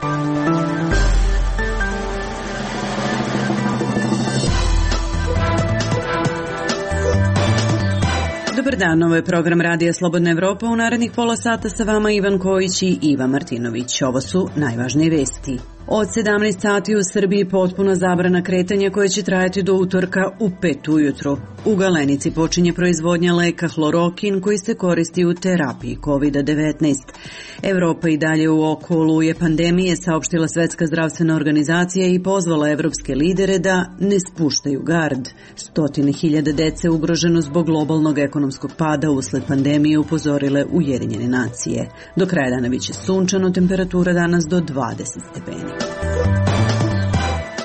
Dobar dan, ovo je program Radija Slobodna Evropa. U narednih pola sata sa vama Ivan Kojić i Iva Martinović. Ovo su najvažnije vesti. Od 17 sati u Srbiji potpuna zabrana kretanja koja će trajati do utorka u 5 ujutru. U Galenici počinje proizvodnja leka hlorokin koji se koristi u terapiji COVID-19. Evropa i dalje u oko oluje pandemije, saopštila Svetska zdravstvena organizacija i pozvala evropske lidere da ne spuštaju gard. Stotine hiljada dece ugroženo zbog globalnog ekonomskog pada usled pandemije, upozorile Ujedinjene nacije. Do kraja dana biće sunčano, temperatura danas do 20 stepeni.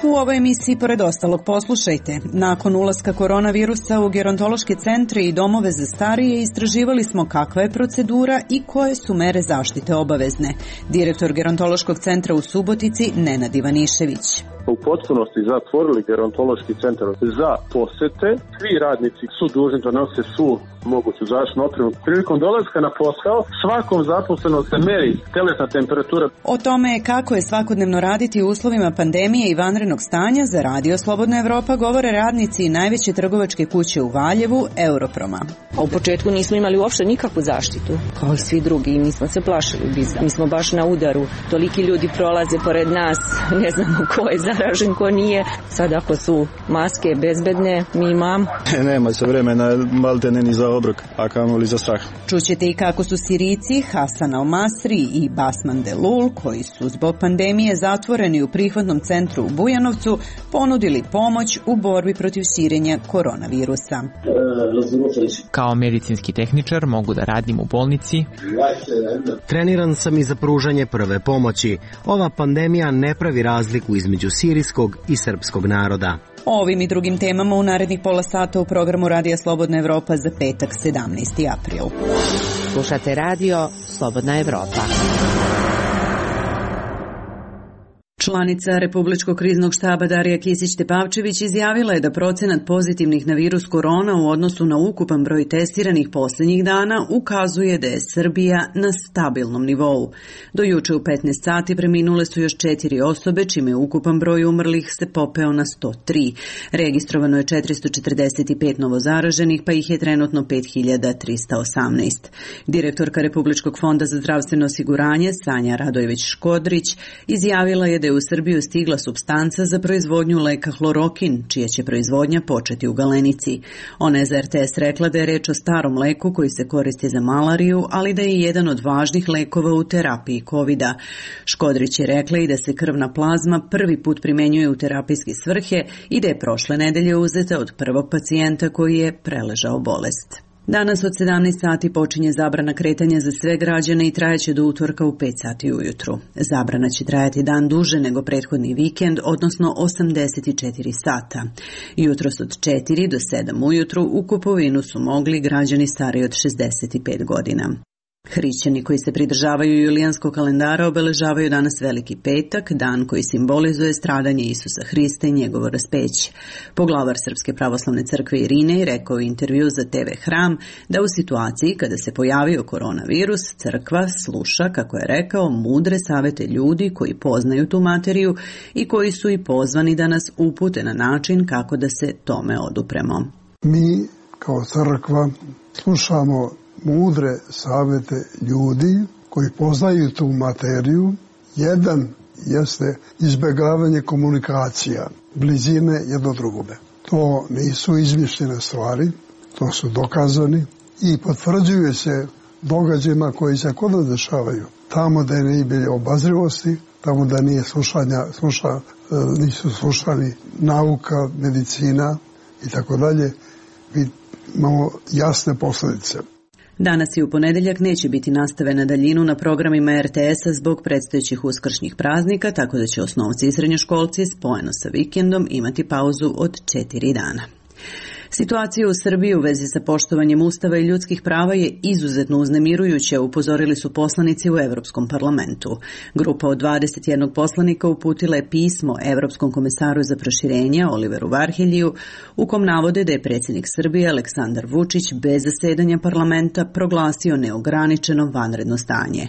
U ovoj emisiji, pored ostalog, poslušajte. Nakon ulaska koronavirusa u gerontološke centre i domove za starije, istraživali smo kakva je procedura i koje su mere zaštite obavezne. Direktor gerontološkog centra u Subotici, Nenad Ivanišević. U potpunosti zatvorili gerontološki centar za posete. Svi radnici su dužni da nose svu moguću zaštitnu opremu. Prilikom dolaska na posao svakom zaposlenom se meri telesna temperatura. O tome kako je svakodnevno raditi u uslovima pandemije i vanrednog stanja za Radio Slobodna Evropa govore radnici najveće trgovačke kuće u Valjevu, Europroma. U početku nismo imali uopšte nikakvu zaštitu, kao i svi drugi, i mi smo se plašili. Mi smo baš na udaru. Toliki ljudi prolaze pored nas, ne znamo ko je zaražen, ko nije. Sad ako su maske bezbedne, mi imamo. Nema se vremena maltene ni za obrok, a kamoli za strah. Čućete i kako su Sirijci Hasan Al-Masri i Basman Delul, koji su zbog pandemije zatvoreni u prihvatnom centru u Bujanovcu, ponudili pomoć u borbi protiv širenja koronavirusa. Kao medicinski tehničar mogu da radim u bolnici. Treniran sam i za pružanje prve pomoći. Ova pandemija ne pravi razliku između sirijskog i srpskog naroda. O ovim i drugim temama u narednih pola sata u programu Radija Slobodna Evropa za petak 17. april. Slušate Radio Slobodna Evropa. Članica Republičkog kriznog štaba Darija Kisić-Tepavčević izjavila je da procenat pozitivnih na virus korona u odnosu na ukupan broj testiranih posljednjih dana ukazuje da je Srbija na stabilnom nivou. Do juče u 15 sati preminule su još 4 osobe, čime je ukupan broj umrlih se popeo na 103. Registrovano je 445 novozaraženih, pa ih je trenutno 5318. Direktorka Republičkog fonda za zdravstveno osiguranje Sanja Radojević-Škodrić izjavila je da je u Srbiju stigla supstanca za proizvodnju leka hlorokin, čija će proizvodnja početi u Galenici. Ona je za RTS rekla da je reč o starom leku koji se koristi za malariju, ali da je jedan od važnih lekova u terapiji COVID-a. Škodrić je rekla i da se krvna plazma prvi put primenjuje u terapijske svrhe i da je prošle nedelje uzeta od prvog pacijenta koji je preležao bolest. Danas od 17 sati počinje zabrana kretanja za sve građane i trajaće do utorka u 5 sati ujutru. Zabrana će trajati dan duže nego prethodni vikend, odnosno 84 sata. Jutros od 4 do 7 ujutru u kupovinu su mogli građani stariji od 65 godina. Hrišćani koji se pridržavaju julijanskog kalendara obeležavaju danas Veliki petak, dan koji simbolizuje stradanje Isusa Hrista i njegovo raspeće. Poglavar Srpske pravoslavne crkve Irinej rekao u intervju za TV Hram da u situaciji kada se pojavio koronavirus, crkva sluša, kako je rekao, mudre savete ljudi koji poznaju tu materiju i koji su i pozvani da nas upute na način kako da se tome odupremo. Mi kao crkva slušamo mudre savete ljudi koji poznaju tu materiju. Jedan jeste izbjegavanje komunikacija, blizine jedno drugome. To nisu izmišljene stvari, to su dokazani i potvrđuje se događajima koji se kod nas dešavaju. Tamo da nije bilo obazrivosti, tamo da nije nisu slušani nauka, medicina i tako dalje, imamo jasne posljedice. Danas i u ponedeljak neće biti nastave na daljinu na programima RTS-a zbog predstojećih uskršnjih praznika, tako da će osnovci i srednjoškolci spojeno sa vikendom imati pauzu od 4 dana. Situacija u Srbiji u vezi sa poštovanjem Ustava i ljudskih prava je izuzetno uznemirujuća, upozorili su poslanici u Evropskom parlamentu. Grupa od 21 poslanika uputila je pismo Evropskom komesaru za proširenje Oliveru Varheljiju, u kom navode da je predsjednik Srbije Aleksandar Vučić bez zasedanja parlamenta proglasio neograničeno vanredno stanje.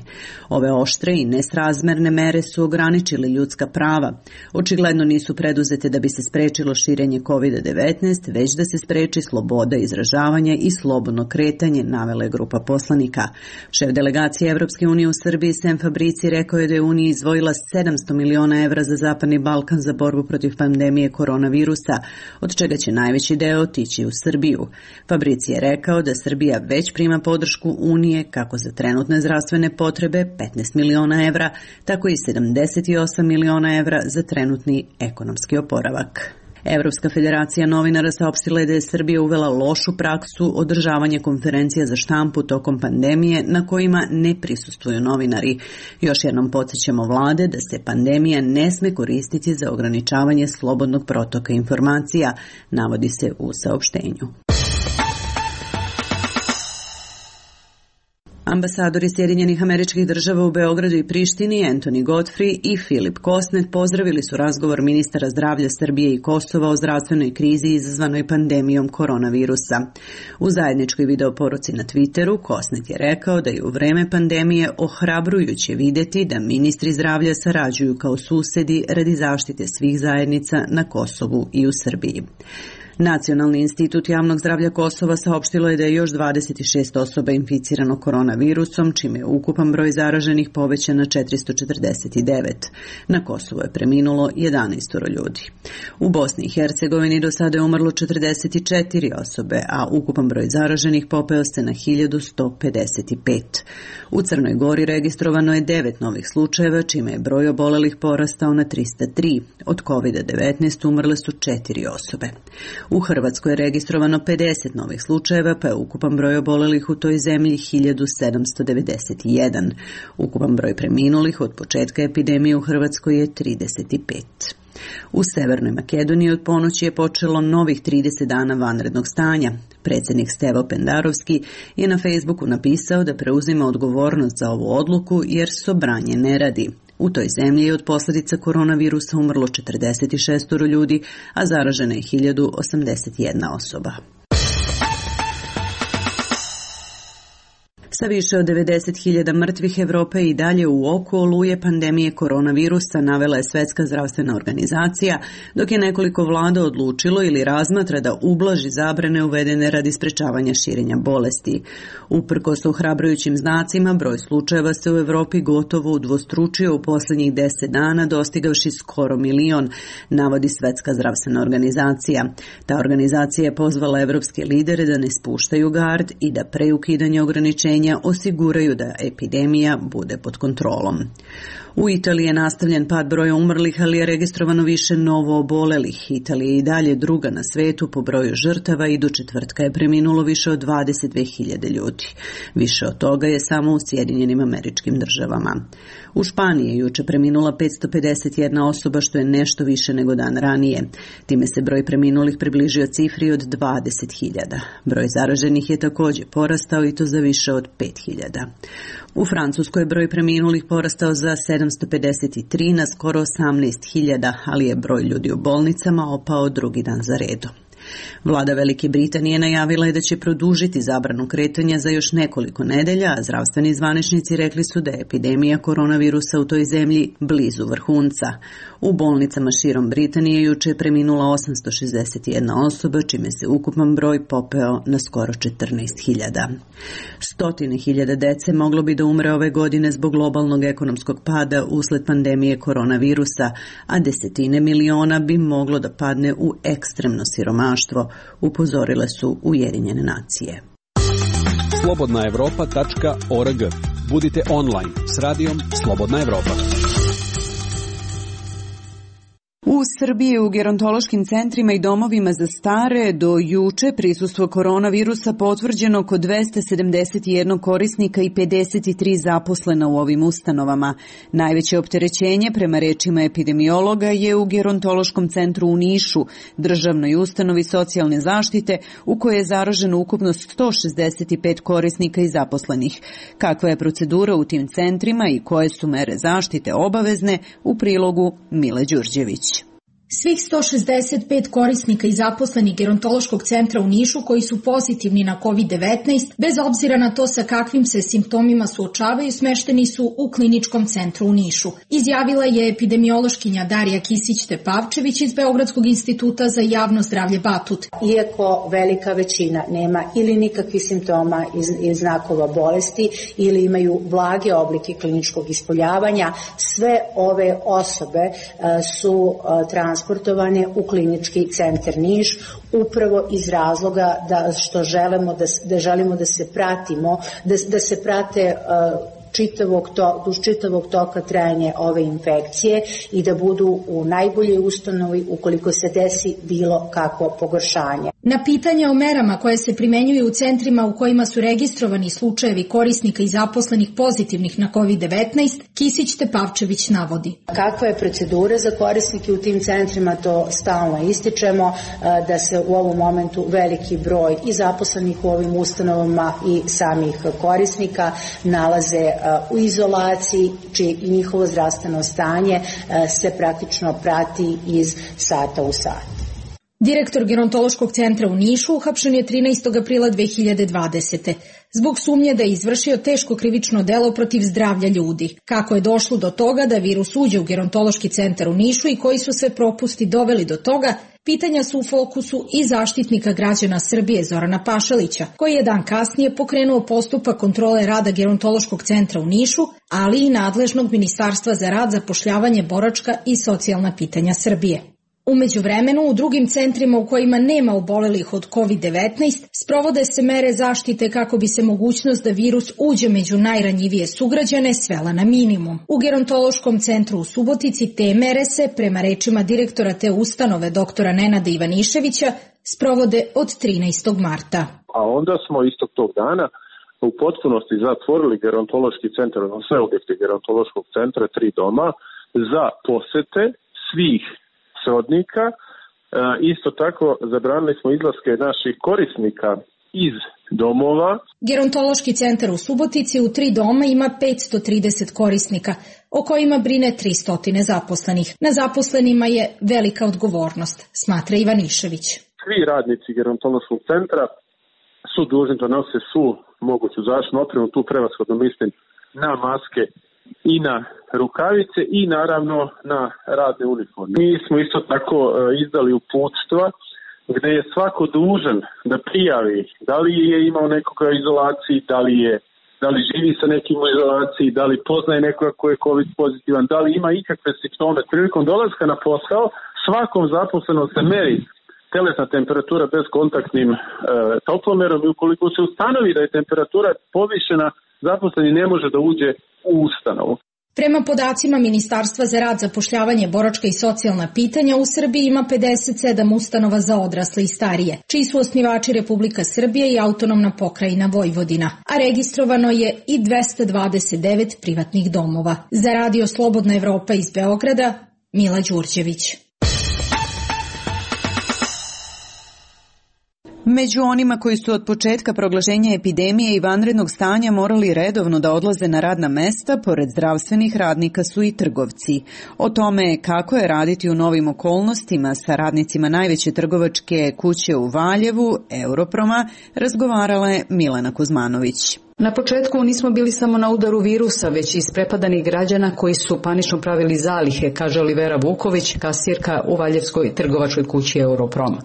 Ove oštre i nesrazmerne mere su ograničile ljudska prava. Očigledno nisu preduzete da bi se sprečilo širenje COVID-19, već da se spreči sloboda izražavanja i slobodno kretanje, navela je grupa poslanika. Šef delegacije Evropske unije u Srbiji Sem Fabrici rekao je da je Unija izdvojila 700 miliona evra za Zapadni Balkan za borbu protiv pandemije koronavirusa, od čega će najveći deo otići u Srbiju. Fabrici je rekao da Srbija već prima podršku Unije kako za trenutne zdravstvene potrebe 15 miliona evra, tako i 78 miliona evra za trenutni ekonomski oporavak. Evropska federacija novinara saopštila je da je Srbija uvela lošu praksu održavanja konferencija za štampu tokom pandemije na kojima ne prisustvuju novinari. Još jednom podsjećamo vlade da se pandemija ne sme koristiti za ograničavanje slobodnog protoka informacija, navodi se u saopštenju. Ambasadori Sjedinjenih Američkih Država u Beogradu i Prištini, Anthony Godfrey i Filip Kosnet, pozdravili su razgovor ministara zdravlja Srbije i Kosova o zdravstvenoj krizi izazvanoj pandemijom koronavirusa. U zajedničkoj videoporuci na Twitteru Kosnet je rekao da je u vreme pandemije ohrabrujuće vidjeti da ministri zdravlja sarađuju kao susedi radi zaštite svih zajednica na Kosovu i u Srbiji. Nacionalni institut javnog zdravlja Kosova saopštilo je da je još 26 osoba inficirano koronavirusom, čime je ukupan broj zaraženih povećan na 449. Na Kosovu je preminulo 11 ljudi. U Bosni i Hercegovini do sada je umrlo 44 osobe, a ukupan broj zaraženih popeo se na 1155. U Crnoj Gori registrovano je 9 novih slučajeva, čime je broj obolelih porastao na 303. Od COVID-19 umrle su 4 osobe. U Hrvatskoj je registrovano 50 novih slučajeva, pa je ukupan broj obolelih u toj zemlji 1791. Ukupan broj preminulih od početka epidemije u Hrvatskoj je 35. U Severnoj Makedoniji od ponoći je počelo novih 30 dana vanrednog stanja. Predsjednik Stevo Pendarovski je na Facebooku napisao da preuzima odgovornost za ovu odluku jer sobranje ne radi. U toj zemlji je od posljedica koronavirusa umrlo 46 ljudi, a zaražena je 1081 osoba. Sa više od 90.000 mrtvih Evropa i dalje u oku oluje pandemije koronavirusa, navela je Svjetska zdravstvena organizacija, dok je nekoliko vlada odlučilo ili razmatra da ublaži zabrane uvedene radi sprečavanja širenja bolesti. Uprkos ohrabrujućim znacima, broj slučajeva se u Evropi gotovo udvostručio u posljednjih 10 dana, dostigavši skoro 1 milion, navodi Svjetska zdravstvena organizacija. Ta organizacija je pozvala evropske lidere da ne spuštaju gard i da pre ukidanja ograničenja osiguraju da epidemija bude pod kontrolom. U Italiji je nastavljen pad broja umrlih, ali je registrovano više novo obolelih. Italija je i dalje druga na svetu po broju žrtava i do četvrtka je preminulo više od 22.000 ljudi. Više od toga je samo u Sjedinjenim Američkim Državama. U Španiji je juče preminula 551 osoba, što je nešto više nego dan ranije. Time se broj preminulih približio cifri od 20.000. Broj zaraženih je također porastao i to za više od 5.000. U Francuskoj je broj preminulih porastao za 753 na skoro 18.000, ali je broj ljudi u bolnicama opao drugi dan za redom. Vlada Velike Britanije najavila je da će produžiti zabranu kretanja za još nekoliko nedelja, a zdravstveni zvaničnici rekli su da je epidemija koronavirusa u toj zemlji blizu vrhunca. U bolnicama širom Britanije juče je preminula 861 osoba, čime se ukupan broj popeo na skoro 14.000. Stotine hiljada dece moglo bi da umre ove godine zbog globalnog ekonomskog pada usled pandemije koronavirusa, a desetine miliona bi moglo da padne u ekstremno siromaštvo, upozorile su Ujedinjene nacije. slobodnaevropa.org. Budite online s radijom Slobodna Evropa. U U Srbiji u gerontološkim centrima i domovima za stare do juče prisustvo koronavirusa potvrđeno kod 271 korisnika i 53 zaposlena u ovim ustanovama. Najveće opterećenje, prema rečima epidemiologa, je u gerontološkom centru u Nišu, državnoj ustanovi socijalne zaštite, u kojoj je zaraženo ukupno 165 korisnika i zaposlenih. Kakva je procedura u tim centrima i koje su mere zaštite obavezne, u prilogu Mile Đurđević. Svih 165 korisnika i zaposlenih gerontološkog centra u Nišu koji su pozitivni na COVID-19, bez obzira na to sa kakvim se simptomima suočavaju, smešteni su u kliničkom centru u Nišu. Izjavila je epidemiološkinja Darija Kisić-Tepavčević iz Beogradskog instituta za javno zdravlje Batut. Iako velika većina nema ili nikakvih simptoma i znakova bolesti ili imaju blage oblike kliničkog ispoljavanja, sve ove osobe su transportovane u klinički centar Niš upravo iz razloga da želimo da se pratimo, da se prate duž čitavog toka trajanja ove infekcije i da budu u najboljoj ustanovi ukoliko se desi bilo kakvo pogoršanje. Na pitanje o merama koje se primenjuju u centrima u kojima su registrovani slučajevi korisnika i zaposlenih pozitivnih na COVID-19, Kisić-Tepavčević navodi. Kakva je procedura za korisnike u tim centrima, to stalno ističemo, da se u ovom momentu veliki broj i zaposlenih u ovim ustanovama i samih korisnika nalaze u izolaciji, čije i njihovo zdravstveno stanje se praktično prati iz sata u sat. Direktor gerontološkog centra u Nišu uhapšen je 13. aprila 2020. zbog sumnje da je izvršio teško krivično delo protiv zdravlja ljudi. Kako je došlo do toga da virus uđe u gerontološki centar u Nišu i koji su sve propusti doveli do toga, pitanja su u fokusu i Zaštitnika građana Srbije Zorana Pašalića, koji je dan kasnije pokrenuo postupak kontrole rada gerontološkog centra u Nišu, ali i nadležnog Ministarstva za rad, zapošljavanje, boračka i socijalna pitanja Srbije. U međuvremenu, u drugim centrima u kojima nema obolelih od COVID-19, sprovode se mere zaštite kako bi se mogućnost da virus uđe među najranjivije sugrađane svela na minimum. U gerontološkom centru u Subotici te mere se, prema rečima direktora te ustanove doktora Nenada Ivaniševića, sprovode od 13. marta. A onda smo istog tog dana u potpunosti zatvorili gerontološki centar, sve objekte gerontološkog centra, 3 doma, za posete svih srodnika. Isto tako zabranili smo izlaske naših korisnika iz domova. Gerontološki centar u Subotici u 3 doma ima 530 korisnika, o kojima brine 300 zaposlenih. Na zaposlenima je velika odgovornost, smatra Ivanišević. Svi radnici gerontološkog centra su dužni da nose svu moguću zaštitnu opremu, tu prevashodno mislim na maske i na rukavice i naravno na radne uniforme. Mi smo isto tako izdali uputstva gde je svako dužan da prijavi da li je imao nekoga u izolaciji, da li živi sa nekim u izolaciji, da li poznaje nekoga ko je COVID pozitivan, da li ima ikakve simptome. Prilikom dolaska na posao svakom zaposlenom se meri telesna temperatura bez kontaktnim toplomerom i ukoliko se ustanovi da je temperatura povišena, zaposleni ne može da uđe u ustanovu. Prema podacima Ministarstva za rad, zapošljavanje, boračka i socijalna pitanja, u Srbiji ima 57 ustanova za odrasle i starije, čiji su osnivači Republika Srbije i autonomna pokrajina Vojvodina, a registrovano je i 229 privatnih domova. Za Radio Slobodna Evropa iz Beograda, Mila Đurđević. Među onima koji su od početka proglašenja epidemije i vanrednog stanja morali redovno da odlaze na radna mesta, pored zdravstvenih radnika su i trgovci. O tome kako je raditi u novim okolnostima sa radnicima najveće trgovačke kuće u Valjevu, Europroma, razgovarala je Milena Kuzmanović. Na početku nismo bili samo na udaru virusa, već i isprepadanih građana koji su panično pravili zalihe, kaže Olivera Vuković, kasirka u Valjevskoj trgovačkoj kući Europrom.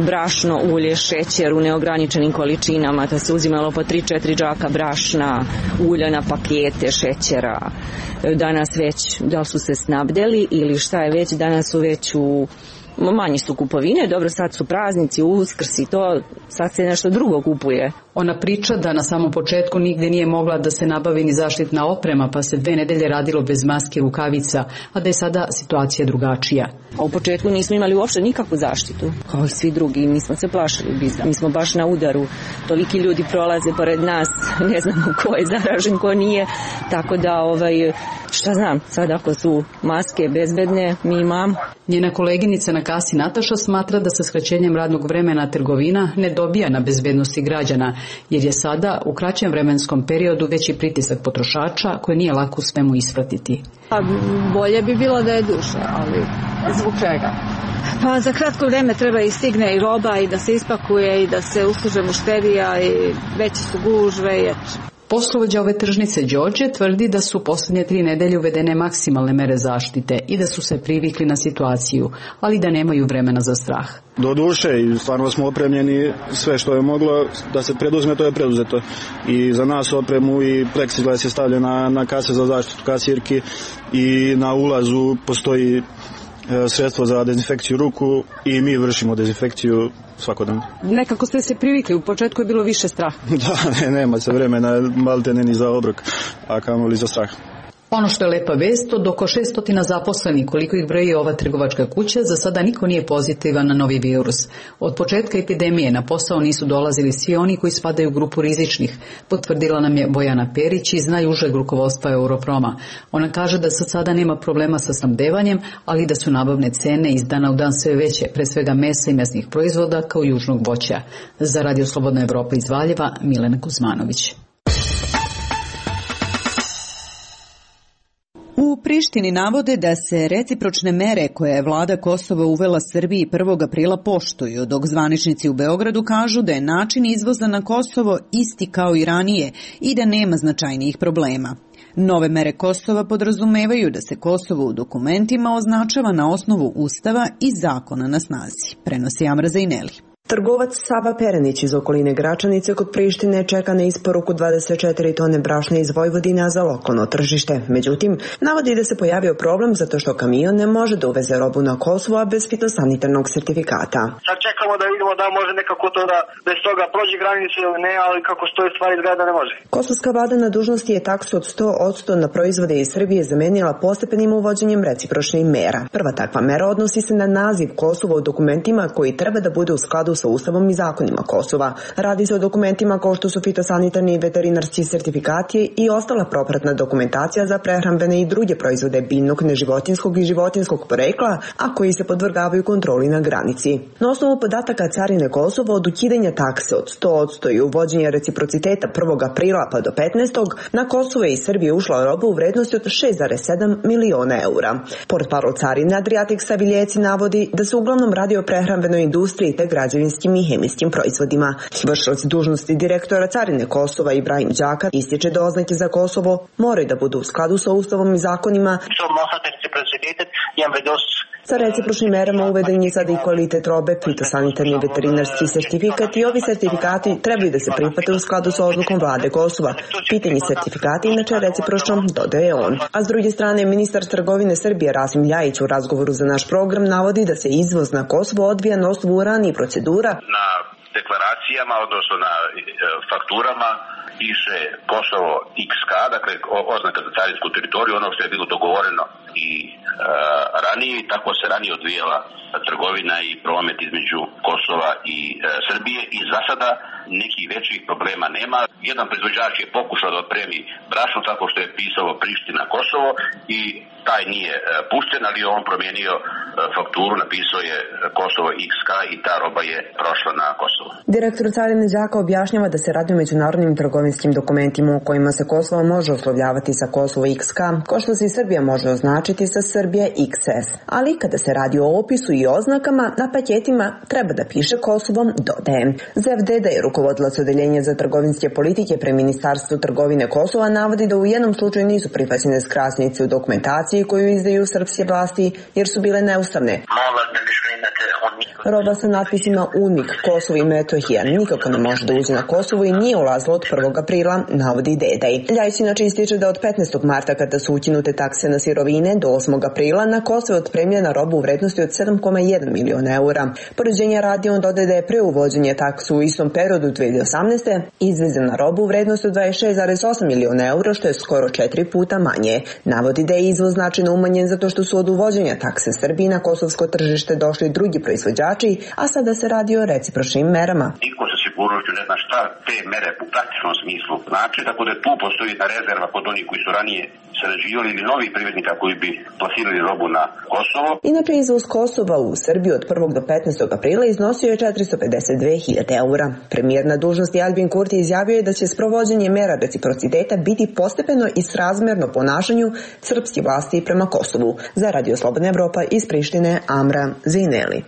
Brašno, ulje, šećer u neograničenim količinama, da se uzimalo po 3-4 džaka brašna, ulja na pakete, šećera. Danas već, da su se snabdeli ili šta je već, danas su već manje su kupovine, dobro sad su praznici, Uskrs i to, sad se nešto drugo kupuje. Ona priča da na samom početku nigde nije mogla da se nabavi ni zaštitna oprema, pa se 2 nedelje radilo bez maske i rukavica, a da je sada situacija drugačija. A u početku nismo imali uopšte nikakvu zaštitu, kao i svi drugi, mi smo se plašili bizda. Mi smo baš na udaru, toliki ljudi prolaze pored nas, ne znamo ko je zaražen, ko nije, tako da šta znam, sad ako su maske bezbedne, mi imamo. Njena koleginica na kasi Nataša smatra da sa skraćenjem radnog vremena trgovina ne dobija na bezbednosti građana, jer je sada u kraćem vremenskom periodu veći pritisak potrošača koje nije lako svemu ispratiti. Bolje bi bilo da je duže, ali zbog čega? Pa za kratko vreme treba i stigne i roba i da se ispakuje i da se usluže mušterija i veće su gužve i Poslovođa ove tržnice Đorđe tvrdi da su posljednje 3 nedelje uvedene maksimalne mere zaštite i da su se privikli na situaciju, ali da nemaju vremena za strah. Do duše i stvarno smo opremljeni, sve što je moglo da se preduzme, to je preduzeto. I za nas opremu i pleksiglas je stavljena na kase za zaštitu kasirki i na ulazu postoji sredstvo za dezinfekciju ruku i mi vršimo dezinfekciju svakodnevno. Nekako ste se privikli, u početku je bilo više straha. Da, nema se vremena, maltene ni za obrok, a kamoli za strah. Ono što je lepa vest, od oko 600 zaposlenih, koliko ih broji ova trgovačka kuća, za sada niko nije pozitivan na novi virus. Od početka epidemije na posao nisu dolazili svi oni koji spadaju u grupu rizičnih, potvrdila nam je Bojana Perić iz najužeg rukovodstva Europroma. Ona kaže da sad sada nema problema sa snabdevanjem, ali da su nabavne cene iz dana u dan sve veće, pre svega mesa i mesnih proizvoda kao južnog voća. Za Radio Slobodna Evropa iz Valjeva, Milena Kuzmanović. U Prištini navode da se recipročne mere koje je vlada Kosova uvela Srbiji 1. aprila poštuju, dok zvaničnici u Beogradu kažu da je način izvoza na Kosovo isti kao i ranije i da nema značajnijih problema. Nove mere Kosova podrazumevaju da se Kosovo u dokumentima označava na osnovu Ustava i zakona na snazi, prenosi Amra Zajneli. Trgovac Sava Perenić iz okoline Gračanice kod Prištine čeka na isporuku 24 tone brašna iz Vojvodina za lokalno tržište. Međutim, navodi da se pojavio problem zato što kamion ne može da uveze robu na Kosovo bez fitosanitarnog sertifikata. Sad čekamo da vidimo da može nekako to da bez toga prođe granicu ili ne, ali kako stoje stvari izgleda ne može. Kosovska vlada na dužnosti je taksu od 100% na proizvode iz Srbije zamenila postepenim uvođenjem recipročnih mera. Prva takva mera odnosi se na naziv Kosova u dokumentima koji treba da bude u skladu sa Ustavom i zakonima Kosova. Radi se o dokumentima kao što su fitosanitarni i veterinarski sertifikati i ostala propratna dokumentacija za prehrambene i druge proizvode biljnog, neživotinskog i životinskog porekla, a koji se podvrgavaju kontroli na granici. Na osnovu podataka Carine Kosova od ukidanja takse od 100% i uvođenja reciprociteta 1. aprila pa do 15. na Kosovo i Srbije ušla roba u vrednosti od 6,7 miliona eura. Portparol Carine Adriatik Saviljeci navodi da se uglavnom radi o prehrambenoj industriji te građevinskim i hemijskim proizvodima. Vršilac dužnosti direktora Carine Kosova Ibrahim Đakar ističe da oznake za Kosovo moraju da budu u skladu sa Ustavom i zakonima. Sa recipročnim merama uveden je sada i kvalitet robe, fitosanitarni i veterinarski sertifikat i ovi sertifikati trebaju da se prihvate u skladu sa odlukom vlade Kosova. Pitanje sertifikata inače recipročno, dodaje on. A s druge strane, ministar trgovine Srbije Rasim Ljajić u razgovoru za naš program navodi da se izvoz na Kosovo odvija na osnovu ranijih procedura. Na deklaracijama, odnosno na fakturama, piše Kosovo XK, dakle oznaka za carinsku teritoriju, ono što je bilo dogovoreno i ranije, tako se ranije odvijala trgovina i promet između Kosova i Srbije i za sada nekih većih problema nema. Jedan proizvođač je pokušao da otpremi brašno tako što je pisalo Priština Kosovo i taj nije pušten, ali on promijenio fakturu, napisao je Kosovo XK i ta roba je prošla na Kosovo. Direktor Carine Đaka objašnjava da se radi o međunarodnim trgovinskim dokumentima u kojima se Kosovo može oslovljavati sa Kosovo XK, kao što se i Srbija može označiti sa Srbije XS. Ali kada se radi o opisu i oznakama, na paketima treba da piše Kosovo, dodaje. Zev Deda je rukovodilac odeljenja za trgovinske politike pre Ministarstvu trgovine Kosova navodi da u jednom slučaju nisu prihvaćene skrasnice u dokumentaciji koju izdaju srpske vlasti jer su bile neustavne. Roba sa natpisima UNMIK, Kosovo i Metohija, nikako ne može da uđe na Kosovo i nije ulazila od 1. aprila, navodi Dedej. Ljajić inače ističe da od 15. marta, kada su ukinute takse na sirovine, do 8. aprila na Kosovo je otpremljena roba u vrednosti od 7,1 miliona eura. Poređenja radi on dodaje da je pre uvođenja taksu u istom periodu 2018. izvezena roba u vrednosti od 26,8 miliona eura, što je skoro 4 puta manje. Navodi da je izvoz značajno umanjen zato što su od uvođenja takse Srbiji na kosovsko tržište došli drugi proizvođači, a sada se radi o recipročnim merama. Niko sa sigurnošću ne zna šta te mere u praktičnom smislu znači, tako da tu postoji jedna rezerva kod onih koji su ranije sarađivali ili novih privrednika koji bi plasirali robu na Kosovo. Inače, izvoz Kosova u Srbiju od 1. do 15. aprila iznosio je 452.000 eura. Premijer na dužnosti Albin Kurti izjavio je da će sprovođenje mera reciprociteta biti postepeno i srazmerno ponašanju srpskih vlasti prema Kosovu. Za Radio Slobodna Evropa iz Prištine, Amra Zineli.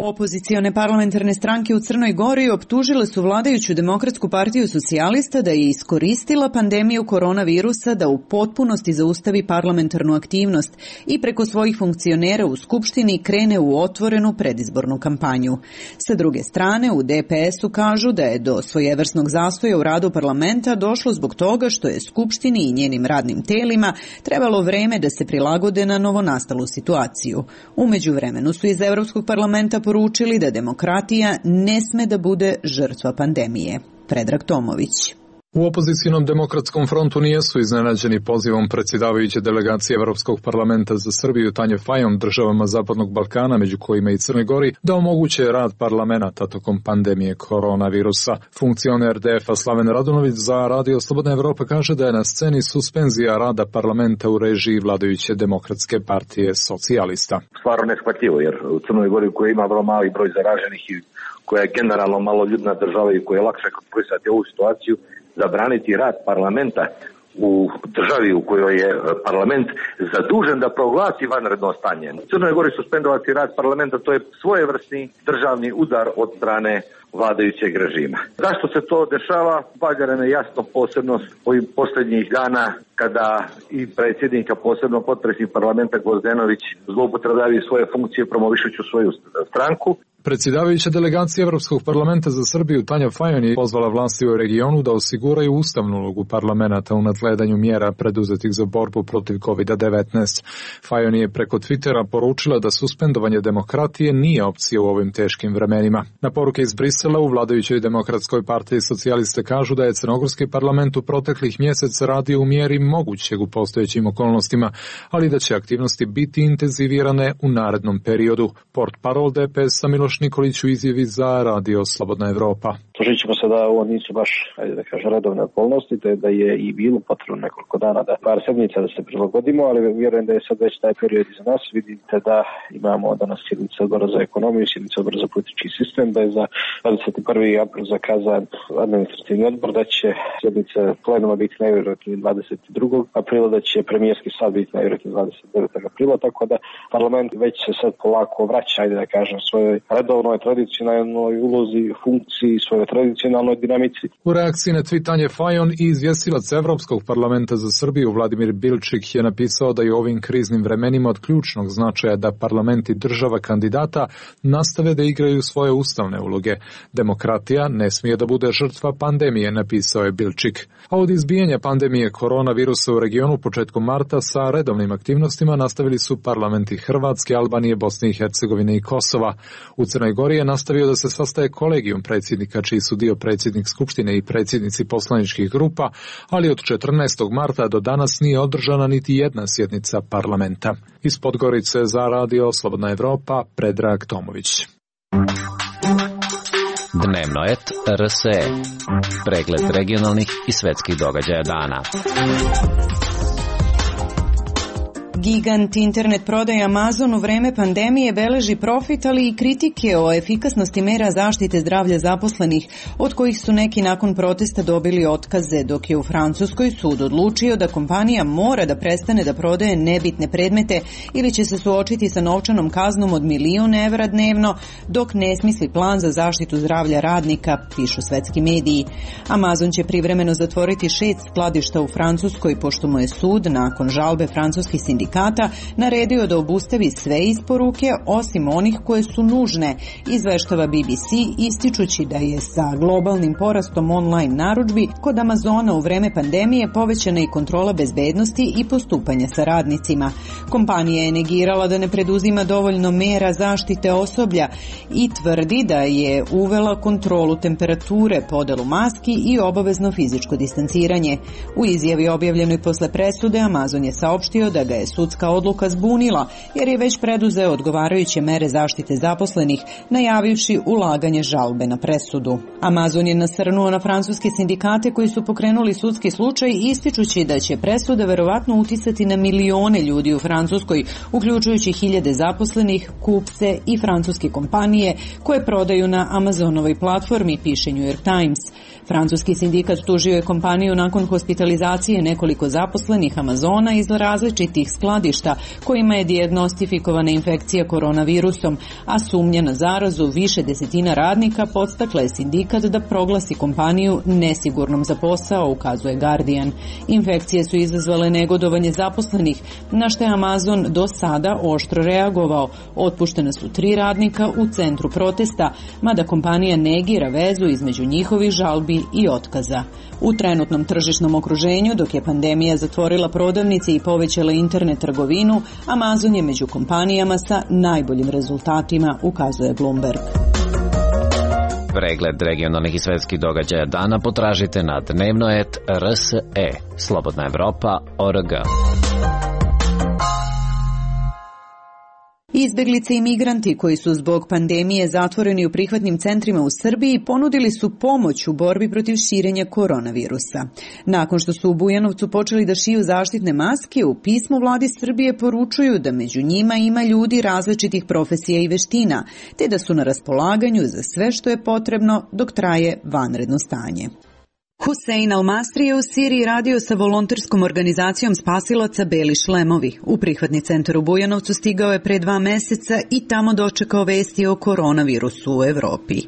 Opozicione parlamentarne stranke u Crnoj Gori optužile su vladajuću Demokratsku partiju socijalista da je iskoristila pandemiju koronavirusa da u potpunosti zaustavi parlamentarnu aktivnost i preko svojih funkcionera u Skupštini krene u otvorenu predizbornu kampanju. Sa druge strane, u DPS-u kažu da je do svojevrsnog zastoja u radu parlamenta došlo zbog toga što je Skupštini i njenim radnim telima trebalo vreme da se prilagode na novonastalu situaciju. U međuvremenu su iz Evropskog parlamenta poručili da demokratija ne sme da bude žrtva pandemije. Predrag Tomović. U opozicijnom demokratskom frontu nijesu iznenađeni pozivom predsjedavajuće delegacije Evropskog parlamenta za Srbiju Tanje Fajon državama Zapadnog Balkana, među kojima i Crnoj Gori, da omoguće rad parlamenta tokom pandemije koronavirusa. Funkcioner DF-a Slaven Radunović za Radio Slobodna Evropa kaže da je na sceni suspenzija rada parlamenta u režiji vladajuće Demokratske partije socijalista. Stvarno neshvatljivo, jer u Crnoj Gori koja ima vrlo mali broj zaraženih i koja je generalno maloljudna država i koja je lakše kontrolisati ovu situaciju, zabraniti rad parlamenta u državi u kojoj je parlament zadužen da proglasi vanredno stanje. U Crnoj Gori suspendovati rad parlamenta, to je svojevrsni državni udar od strane vladajućeg režima. Zašto se to dešava? Valjda nam je jasno, posebno ovih posljednjih dana kada i predsjednik, a posebno potpredsjednik parlamenta Gvozdenović zloupotrebljavaju svoje funkcije promovišući svoju stranku. Predsjedavajuća delegacija Evropskog parlamenta za Srbiju Tanja Fajon je pozvala vlasti u regionu da osiguraju ustavnu ulogu parlamenta u nadgledanju mjera preduzetih za borbu protiv COVID-19. Fajon je preko Twittera poručila da suspendovanje demokratije nije opcija u ovim teškim vremenima. Na poruke iz Brisela u vladajućoj Demokratskoj partiji socijaliste kažu da je crnogorski parlament u proteklih mjeseca radio u mjeri mogućeg u postojećim okolnostima, ali da će aktivnosti biti intenzivirane u narednom periodu. Portparol DPS-a Miloš Nikolić u izjavi za Radio Slobodna Evropa. Složit ćemo se da ovo nisu baš, redovne okolnosti, te da je i bilo potrebno nekoliko dana, par sedmica da se prilagodimo, ali vjerujem da je sad već taj period iza nas. Vidite da imamo danas sjednice odbora za ekonomiju, sjednice odbora za politički sistem, da je za 21. april zakazan administrativni odbor, da će sjednice plenuma biti najvjerojatnije 22. aprila, da će premijerski sad biti najvjerojatnije 29. aprila, tako da parlament već se sad polako vraća, da kažem, svojoj redovnoj tradicionalnoj ulozi, funkciji, svojoj tradicionalnoj dinamici. U reakciji na tweetanje Fajon i izvjestilac Evropskog parlamenta za Srbiju Vladimir Bilčik je napisao da je u ovim kriznim vremenima od ključnog značaja da parlamenti država kandidata nastave da igraju svoje ustavne uloge. Demokratija ne smije da bude žrtva pandemije, napisao je Bilčik. A od izbijanja pandemije koronavirusa u regionu početkom marta sa redovnim aktivnostima nastavili su parlamenti Hrvatske, Albanije, Bosne i Hercegovine i Kosova. U Crnoj Gori je nastavio da se sastaje kolegijum predsjednika, čiji su dio predsjednik Skupštine i predsjednici poslaničkih grupa, ali od 14. marta do danas nije održana niti jedna sjednica parlamenta. Iz Podgorice za Radio Slobodna Evropa, Predrag Tomović. Dnevno et RSE. Pregled regionalnih i svetskih događaja dana. Gigant internet prodaje Amazon u vreme pandemije beleži profit, ali i kritike o efikasnosti mera zaštite zdravlja zaposlenih, od kojih su neki nakon protesta dobili otkaze, dok je u Francuskoj sud odlučio da kompanija mora da prestane da prodaje nebitne predmete ili će se suočiti sa novčanom kaznom od 1.000.000 evra dnevno, dok ne smisli plan za zaštitu zdravlja radnika, pišu svetski mediji. Amazon će privremeno zatvoriti 6 skladišta u Francuskoj, pošto mu je sud, nakon žalbe francuskih sindikata, sindikata naredio da obustavi sve isporuke osim onih koje su nužne, izveštava BBC, ističući da je sa globalnim porastom online narudžbi kod Amazona u vreme pandemije povećana i kontrola bezbednosti i postupanja sa radnicima. Kompanija je negirala da ne preduzima dovoljno mera zaštite osoblja i tvrdi da je uvela kontrolu temperature, podelu maski i obavezno fizičko distanciranje. U izjavi objavljenoj posle presude Amazon je saopštio da ga je sudska odluka zbunila jer je već preduzeo odgovarajuće mere zaštite zaposlenih, najavivši ulaganje žalbe na presudu. Amazon je nasrnuo na francuske sindikate koji su pokrenuli sudski slučaj, ističući da će presuda verovatno uticati na milione ljudi u Francuskoj, uključujući hiljade zaposlenih, kupce i francuske kompanije koje prodaju na Amazonovoj platformi, piše New York Times. Francuski sindikat tužio je kompaniju nakon hospitalizacije nekoliko zaposlenih Amazona iz različitih skladišta kojima je dijagnostifikovana infekcija koronavirusom, a sumnja na zarazu više desetina radnika podstakla je sindikat da proglasi kompaniju nesigurnom za posao, ukazuje Guardian. Infekcije su izazvale negodovanje zaposlenih, na što je Amazon do sada oštro reagovao. Otpuštena su 3 radnika u centru protesta, mada kompanija negira vezu između njihovih žalbi i otkaza. U trenutnom tržišnom okruženju, dok je pandemija zatvorila prodavnice i povećala internet trgovinu, Amazon je među kompanijama sa najboljim rezultatima, ukazuje Bloomberg. Pregled regionalnih i svetskih događaja dana potražite na dnevnoet.rse. Slobodna Evropa.org. Izbeglice i migranti koji su zbog pandemije zatvoreni u prihvatnim centrima u Srbiji ponudili su pomoć u borbi protiv širenja koronavirusa. Nakon što su u Bujanovcu počeli da šiju zaštitne maske, u pismu vladi Srbije poručuju da među njima ima ljudi različitih profesija i veština, te da su na raspolaganju za sve što je potrebno dok traje vanredno stanje. Husein Al-Masri je u Siriji radio sa volonterskom organizacijom spasilaca Beli šlemovi. U prihvatni centar u Bujanovcu stigao je pre 2 meseca i tamo dočekao vesti o koronavirusu u Evropi.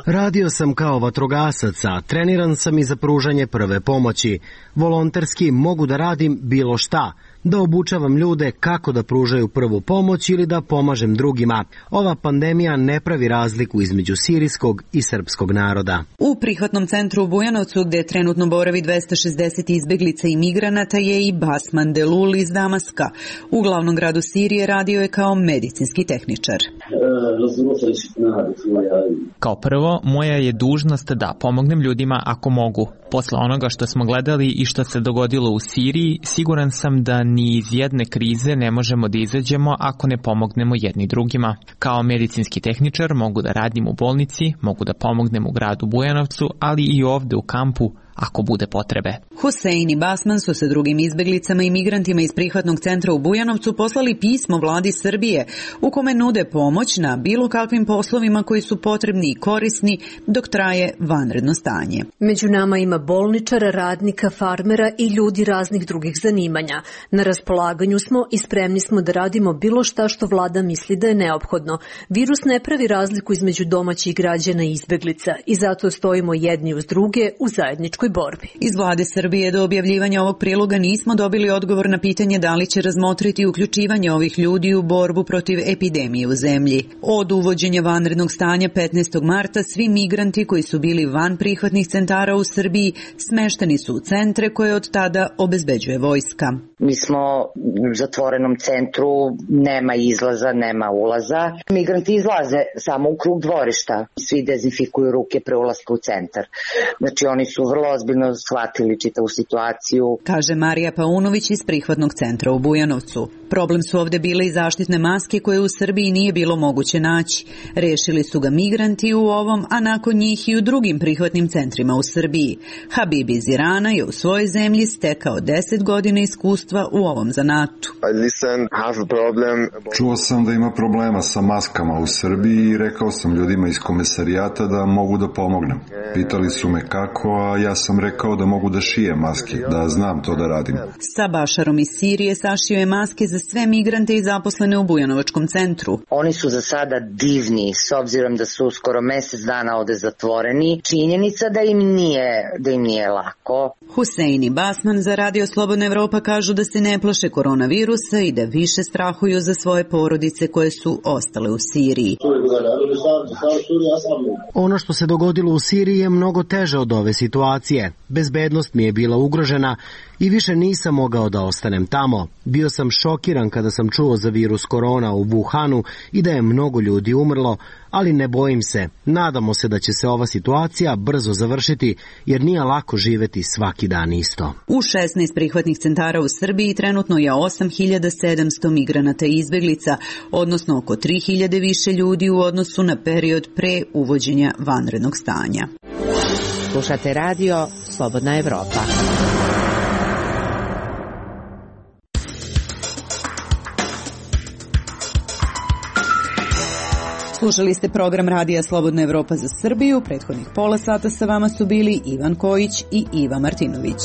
Radio sam kao vatrogasac, a treniran sam i za pružanje prve pomoći. Volonterski mogu da radim bilo šta, da obučavam ljude kako da pružaju prvu pomoć ili da pomažem drugima. Ova pandemija ne pravi razliku između sirijskog i srpskog naroda. U prihvatnom centru u Bujanovcu, gde trenutno boravi 260 izbeglica i migranata, je i Basman Delul iz Damaska. U glavnom gradu Sirije radio je kao medicinski tehničar. Kao prvo, moja je dužnost da pomognem ljudima ako mogu. Posle onoga što smo gledali i što se dogodilo u Siriji, siguran sam da ni iz jedne krize ne možemo da izađemo ako ne pomognemo jedni drugima. Kao medicinski tehničar mogu da radim u bolnici, mogu da pomognem u gradu Bujanovcu, ali i ovde u kampu ako bude potrebe. Husein i Basman su sa drugim izbeglicama i migrantima iz prihvatnog centra u Bujanovcu poslali pismo vladi Srbije u kome nude pomoć na bilo kakvim poslovima koji su potrebni i korisni dok traje vanredno stanje. Među nama ima bolničara, radnika, farmera i ljudi raznih drugih zanimanja. Na raspolaganju smo i spremni smo da radimo bilo šta što vlada misli da je neophodno. Virus ne pravi razliku između domaćih građana i izbeglica i zato stojimo jedni uz druge u zajedničkoj borbi. Iz vlade Srbije do objavljivanja ovog priloga nismo dobili odgovor na pitanje da li će razmotriti uključivanje ovih ljudi u borbu protiv epidemije u zemlji. Od uvođenja vanrednog stanja 15. marta svi migranti koji su bili van prihvatnih centara u Srbiji smešteni su u centre koje od tada obezbeđuje vojska. Mi smo u zatvorenom centru, nema izlaza, nema ulaza. Migranti izlaze samo u krug dvorišta. Svi dezinfikuju ruke pre ulaska u centar. Znači oni su vrlo ozbiljno shvatili čitavu situaciju. Kaže Marija Paunović iz prihvatnog centra u Bujanovcu. Problem su ovde bile i zaštitne maske koje u Srbiji nije bilo moguće naći. Rešili su ga migranti u ovom, a nakon njih i u drugim prihvatnim centrima u Srbiji. Habib iz Irana je u svojoj zemlji stekao 10 godina iskustva u ovom zanatu. Čuo sam da ima problema sa maskama u Srbiji i rekao sam ljudima iz komesarijata da mogu da pomognem. Pitali su me kako, a ja sam rekao da mogu da šijem maske, da znam to da radim. Sa Bašarom iz Sirije sašio je maske za sve migrante i zaposlene u Bujanovačkom centru. Oni su za sada divni, s obzirom da su skoro mesec dana ovde zatvoreni. Činjenica da im nije lako. Husein i Basman za Radio Slobodna Evropa kažu da se ne plaše koronavirusa i da više strahuju za svoje porodice koje su ostale u Siriji. Ono što se dogodilo u Siriji je mnogo teže od ove situacije. Bezbednost mi je bila ugrožena i više nisam mogao da ostanem tamo. Bio sam šokiran kada sam čuo za virus korona u Wuhanu i da je mnogo ljudi umrlo, ali ne bojim se. Nadamo se da će se ova situacija brzo završiti, jer nije lako živeti svaki dan isto. U 16 prihvatnih centara u Srbiji trenutno je 8700 migranata i izbeglica, odnosno oko 3000 više ljudi u odnosu na period pre uvođenja vanrednog stanja. Slušate radio Slobodna Evropa. Slušali ste program Radija Slobodna Evropa za Srbiju. Prethodnih pola sata sa vama su bili Ivan Kojić i Iva Martinović.